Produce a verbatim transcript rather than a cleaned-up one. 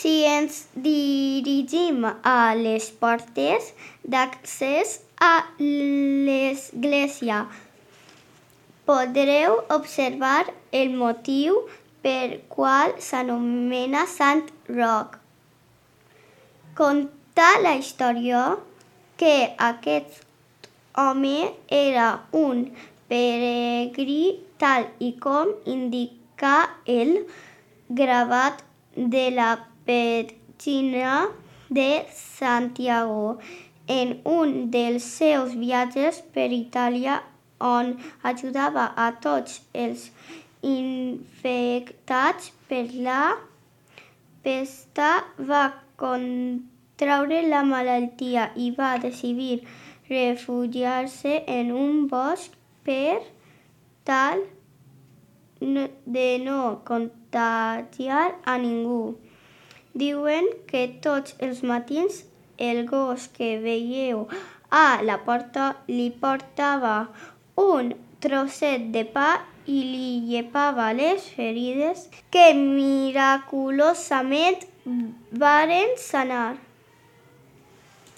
Si ens dirigim a les portes d'accés a l'església, podreu observar el motiu per qual s'anomena Sant Roc. Conta la història que aquest home era un peregrí tal i com indica el gravat de la petxina de Santiago en un dels seus viatges per Itàlia, on ajudava a tots els infectats per la pesta. Va contraure la malaltia i va decidir refugiar-se en un bosc per tal de no contagiar a ningú. Diuen que tots els matins el gos que veieu a la porta li portava un trosset de pa i li llepava les ferides, que miraculosament varen sanar.